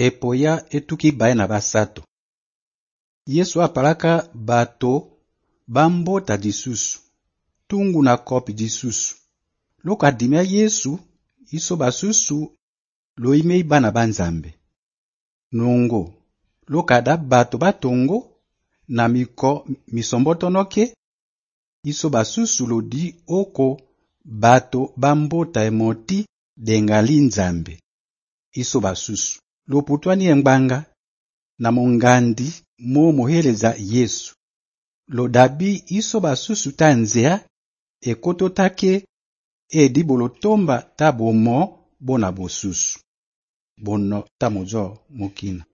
epoya etuki baye na basato. Yesu apalaka bato bambota disusu, tungu na kopi disusu. Loko adimia Yesu, iso basusu loimei bana banzambe. Nongo, loko ada bato batongo na miko misombotonoke, iso basusu lodi oko bato bambota emoti dengali nzambe. Iso basusu loputwani engbanga na mongandi mo moheleza Yesu. Lodabi iso basusu tanzea ekoto take edi bolotomba tabomo bona bosusu. Bono tamojo mokina.